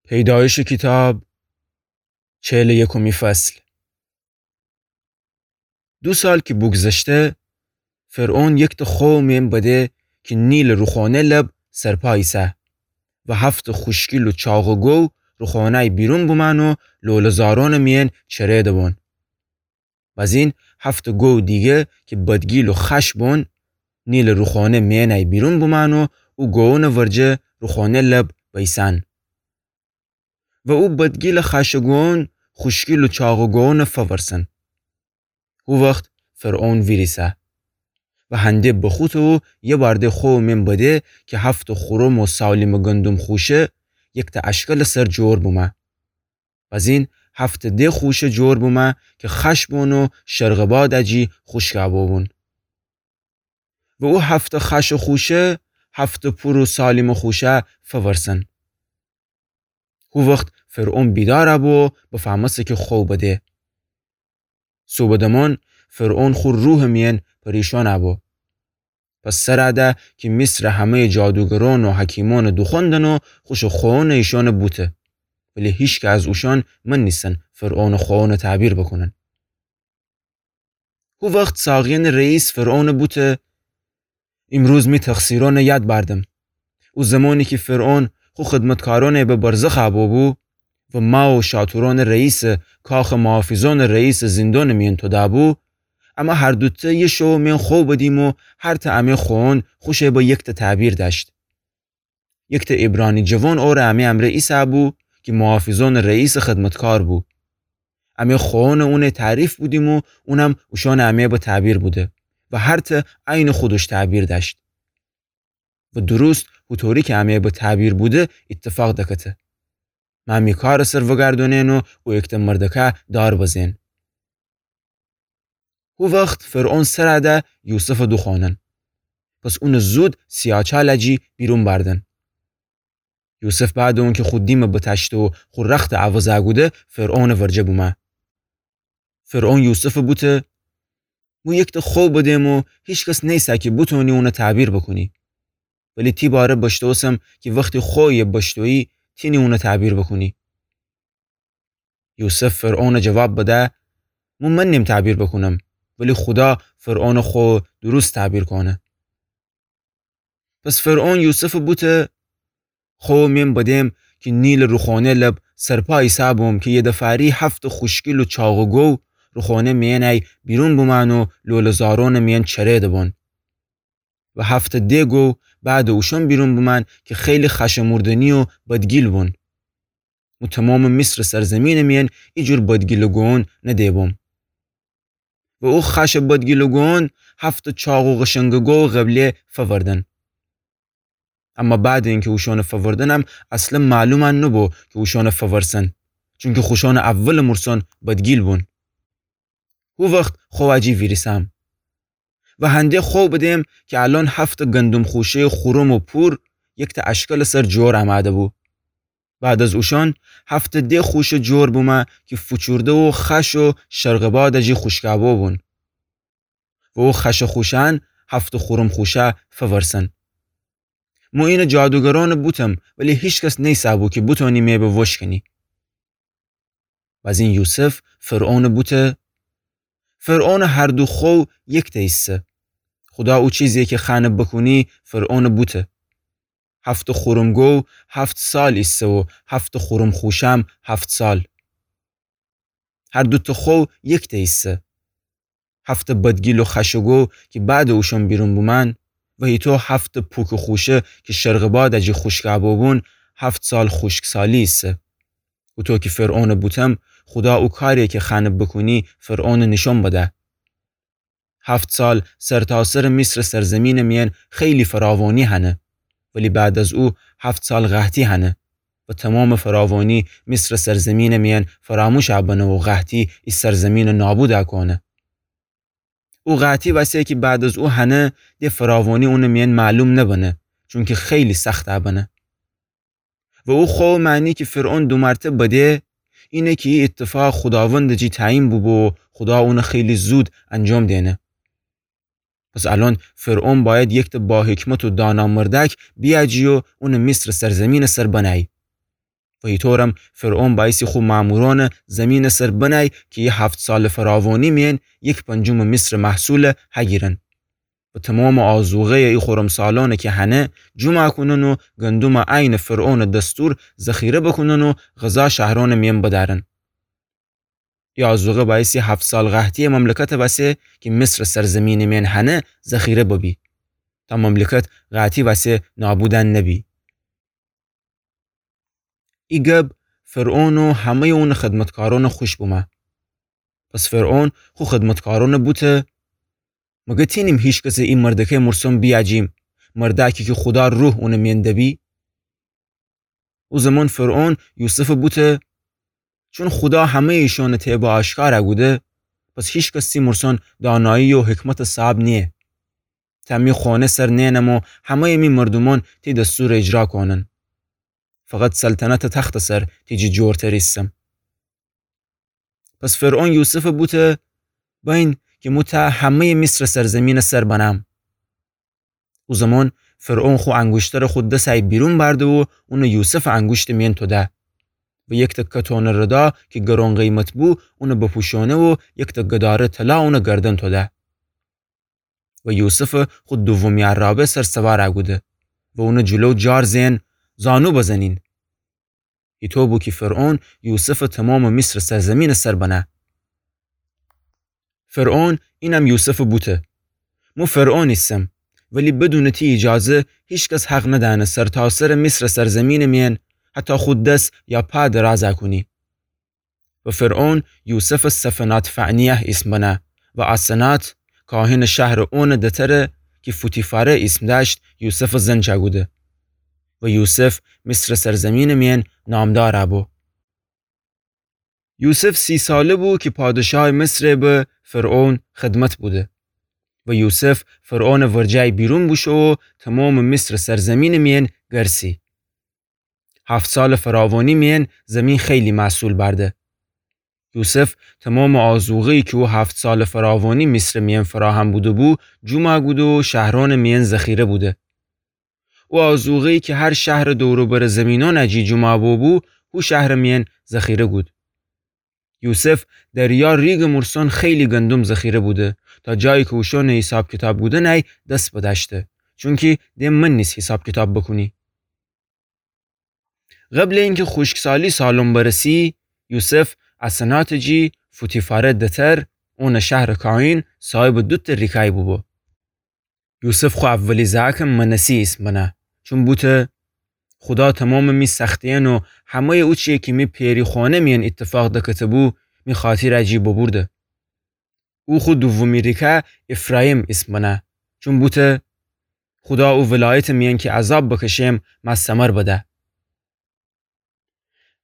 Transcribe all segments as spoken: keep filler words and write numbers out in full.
پیدایشٚ کیتاب، چهلٚ یکمی فصل. دو سال کی بوگذشته، فرعون یکتأ خوأ مئن بده کی نیلٚ روخانه لب سرپا ایسه و هفتأ خوشگیل و چاقٚ گو روخانه‌یی بیرون بومأن و لوله‌زارانٚ مئن چره دبون. بزین هفتأ گو دیگه کی بدگیل و خأش بون، نیلٚ روخانه مئنه‌یی بیرون بومأن و او گوونٚ ورجه روخانه لب بیسن. و او بدگیلٚ خأشٚ گوون خوشگیل و چاقٚ گوونٚ فورسن. هو وخت فرعون ویریسه و هنده بخوته و یه بارده خوأ مئن بده کی هفتأ خورم و سالیمٚ گندم خوشه یکتأ اشکلٚ سر جور بومه. بزین هفتأ ده خوشه جور بومه کی خأش بون و شرقٚ باد جی خوشکا بوبون. و او هفتأ خأشٚ خوشه هفتأ پور و سالیمٚ خوشه فورسن. هو وخت فرعون بیدار بو و بفهمسه کی خوأ بده. صوبٚ دمان فرعون خو روحٚ مئن پریشان بو. پس سر ده کی مصرٚ همه‌یٚ جادوگران و حکیمأنٚ دوخوأندن و خوشٚ خوأنٚ ایشأنٚ بوته. ولی هیچکه از اوشأن منیسن فرعونٚ خوأنٚ تعبیر بوکونن. هو وخت ساقیأنٚ رئیس فرعونٚ بوته: ایمروز می تقصیرأنٚ یاد بأردم. او زمانی کی فرعون خو خدمتکارأنٚ به برزخ بوبو و ما و شاتورأنٚ رئیسٚ کاخٚ محافظأنٚ رئیسٚ زیندانٚ مئن توده بو، امه هر دوتأ یه شوٚ مئن خوأ بدیم و هر تأ امه خوأن خوشه به یکتأ تعبیر دأشت. یکتأ عبرانی جوان اوره امه امرأ ایسه بو کی محافظأنٚ رئیسٚ خدمتکار بو. امه خوأنٚ اونه تعریف بودیم و اونم اوشأنٚ امه به تعبیر بوده و هر تأ عینٚ خودش تعبیر دأشت. و درست هوطوری کی امه به تعبیر بوده ایتفاق دکته. مه می کارٚ سر وگردونن و او یکتأ مردکه دار بزن. هو وخت فرعون سر ده یوسفٚ دوخوأنن. پس اونٚ زود سیاچالٚ جی بیرون بأردن. یوسف بعدٚ اونکی خو دیمٚ بتأشته و خو رختٚ عوض کوده، فرعونٚ ورجه بومه. فرعون یوسفٚ بوته: مو یکتأ خوأ بدم و هیچکس نیسه کی بتونی اونه تعبیر بوکونی. ولی تی باره بشتوسم کی وختی خوأیٚ بشتویی تینی اونه تعبیر بوکونی. یوسف فرعونٚ جواب بده: مو منیم تعبیر بوکونم، ولی خودا فرعونٚ خوأ درست تعبیر کونه. پس فرعون یوسفٚ بوته: خوأ مئن بدم کی نیلٚ روخانه لب سرپا ایسه بوم کی یه دفعه‌یی هفتأ خوشگیل و چاقٚ گو روخانه مئنی بیرون بومأن و لوله‌زارانٚ مئن چره دبون. و هفتأ ده گو بعدٚ اوشأن بیرون بومأن کی خیلی خشموردنی و بدگیل بون. مو تومامٚ مصرٚ سرزیمینٚ مئن ایجور بدگیلٚ گوون نده بوم. و او خشٚ بدگیلٚ گوون هفتأ چاق و قشنگٚ گو قبله فوردن. اما بعدٚ اینکی اوشأنٚ فوردنم اصلا معلومأن نوبو کی اوشأنٚ فورسن، چونکی خوشأنٚ اولٚ مورسأن بدگیل بون. هو وخت خوأ جی ویریسم. و هنده خوأ بدم کی الأن هفتأ گندم خوشه‌یٚ خورم و پور یکتأ اشکلٚ سر جور امده بو. بعد از اوشأن هفتأ ده خوشه جور بومه کی فوچورده و خش و شرقٚ بادٚ جی خوشکا بوبون. و او خشٚ خوشأن هفتأ خورم خوشه فورسن. مو اینٚ جادوگرأنٚ بوتم، ولی هیچکس نیسه بو کی بتونی می به وشکنی. بزین یوسف فرعونٚ بوته: فرعونٚ هر دو خوأ یکتأ ایسه. خودا او چیزی کی خوأنه بوکونی فرعونٚ بوته. هفتأ خورم گو هفت سال ایسه و هفتأ خورم خوشم هفت سال. هر دوتأ خوأ یکتأ ایسه. هفتأ بدگیل و خشٚ گو کی بعدٚ اوشأن بیرون بومأن و هیطو هفتأ پوکٚ خوشه کی شرقٚ بادٚ جی خوشکا بوبون هفت سال خوشکسالی ایسه. هوطو کی فرعونٚ بوتم، خودا او کاری کی خوأنه بوکونی فرعونٚ نیشأن بده. هفت سال سرتاسرٚ مصرٚ سرزیمینٚ مئن خیلی فراوانی هنه، ولی بعد از او هفت سال قحطی هنه و تومامٚ فراوانی مصرٚ سرزیمینٚ مئن فراموش بنه و قحطی ای سرزیمینٚ نابود کونه. او قحطی وسه کی بعد از او هنه، ده فراوانی اونٚ مئن معلوم نبنه، چونکی خیلی سخت بنه. و او خوأ معنی کی فرعون دو مرتبه بده، اینه کی ای ایتفاق خوداوندٚ جی تعیین بوبو و خودا اونٚ خیلی زود انجام دینه. پس الأن فرعون بأید یکتأ باحکمت و دانا مردأک بیأجی و اونٚ مصرٚ سرزیمینٚ سر بنه‌یی. و ایطورم فرعون بأیسی خو مأمورأنَ زیمینٚ سر بنأی کی ای هفت سالٚ فراوانی میأن یک پنجمٚ مصرٚ محصولَ هگیرن. و تومامٚ آذوقه‌یٚ ای خورمسالأنَ کی هنه جومأ کونن و گندومَ عینٚ فرعونٚ دستور ذخیره بوکونن و غذا شهرأنٚ میأن بدأرن. ای آذوقه بأیسی هفت سال قحطی‌یٚ مملکتٚ وسه کی مصرٚ سرزیمینٚ میأن هنه ذخیره ببی، تا مملکت قحطی وسه نابودَ نبی. ای گب فرعون و همه‌یٚ اونٚ خدمتکارأنَ خوش بومه. پس فرعون خو خدمتکارأنَ بوته: مگر تینیم هیکسٚ ای مردکه مرسن بیجیم، مردکی کی خودا روح اونٚ میأن دبی؟ او زمان فرعون یوسفَ بوته: چون خودا همه‌یٚ ایشأنٚ طیبَ آشکارَ کوده، پس هیکس تی مرسن دانایی و حکمتٚ صاحب نییه. ته می خونه سر نئنم و همه‌یٚ می مردومأن تی دستورَ اجرا کونن. فقط سلطنتٚ تختٚ سر تی جی جورتر ایسم. پس فرعون یوسفَ بوته: بأین کی مو ته همه‌یٚ مصرٚ سرزیمینٚ سر بنم. او زمان فرعون خو انگوشترَ خو دسأی بیرون بأرده و اونَ یوسفٚ انگوشتٚ میأن توده و یک تکه تونٚ ردا کی گرون قیمت بو اونَ بپوشأنه و یک تکه دارٚ طلا اونٚ گردن توده. و یوسفَ خو دومی عرابه سر سوارَ کوده و اونٚ جلو جار زئن: زانو بزنین. ایطو بو کی فرعون یوسفَ تومامٚ مصرٚ سرزیمینٚ سر بنه. فرعون اینم یوسفَ بوته: مو فرعون ایسم، ولی بدونٚ تی ایجازه هیکس حق ندأنه سرتاسرٚ مصرٚ سرزیمینٚ میأن حتی خو دس یا پا درازَ کونی. و فرعون یوسفَ صفنات-فعنیه ایسم بنه و آسنات، کاهنٚ شهرٚ اونٚ دتر کی فوتیفاره ایسم دأشت، یوسفٚ زنچَ کوده. و یوسف مصرٚ سرزیمینٚ میأن نامدارَ بو. یوسف سی ساله بو کی پادشاهٚ مصرَ به فرعون خدمت بوده. و یوسف فرعونٚ ورجه‌یی بیرون بوشو و تومامٚ مصرٚ سرزیمینٚ میأن گرسی. هفت سالٚ فراوانی میأن زیمین خیلی محصول بأرده. یوسف تومامٚ آذوقه‌یی کی او هفت سالٚ فراوانی مصرٚ میأن فراهم بوده‌بو، جومَ کوده و شهرأنٚ میأن ذخیره بوده. او آذوقه‌یی کی هر شهرٚ دور و برٚ زیمینأنٚ جی جومَ بوبو، هو شهرٚ میأن ذخیره کود. یوسف دریا ریگٚ مرسن خیلی گندم ذخیره بوده، تا جایی کی اوشأنٚ حساب کیتاب کودنَی دس بدأشته، چونکی ده من نیس حساب کیتاب بوکونی. قبلٚ اینکی خوشکسالی سالم برسی، یوسف آسناتٚ جی فوتیفاره دتر، اونٚ شهرٚ کاهن، صاحبٚ دوتأ ریکأی بوبو. یوسف خو اولی زأکَ منسی ایسم بنه، چون بوته: خودا تومامٚ می سختیأن و همه‌یٚ اوچی‌یی کی می پئری خونه میأن ایتفاق دکته‌بو، می خاطیرٚ جی ببورده. او خو دومی ریکه افرایم ایسم بنه، چون بوته: خودا او ولایتٚ میأن کی عذاب بکشم، مأ ثمر بده.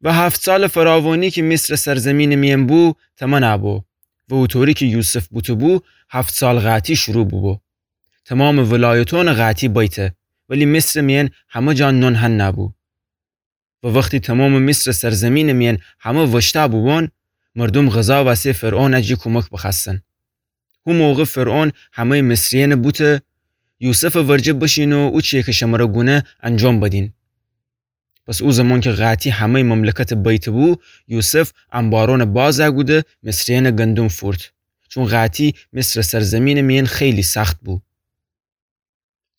و هفت سالٚ فراوانی کی مصرٚ سرزیمینٚ میأن بو، تومنَ بو. و اوطوری کی یوسف بوته‌بو، هفت سال قحطی شروع بوبو. تومامٚ ولایتأنٚ قحطی بیته، ولی مصرٚ میأن همه جا نون هنَ بو. و وختی تومامٚ مصرٚ سرزیمینٚ میأن همه وشتَ بوبون، مردوم غذا وسه فرعونٚ جی کومک بخوأستن. هو موقع فرعون همه‌یٚ مصریأنَ بوته: یوسفٚ ورجه بشین و اوچی‌یی کی شمره گونه انجام بدین. پس او زمان کی قحطی همه‌یٚ مملکتَ بیته‌بو، یوسف انبارأنَ بازَ کوده مصریأنٚ گندم فورت، چون قحطی مصرٚ سرزیمینٚ میأن خیلی سخت بو.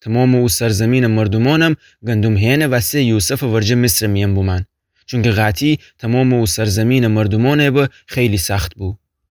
تومامٚ او سرزیمینٚ مردومأنم گندم هئنٚ وسه یوسفٚ ورجه مصرٚ میأن بومأن، چونکی قحطی تومامٚ او سرزیمینٚ مردومأنَ به خیلی سخت بو.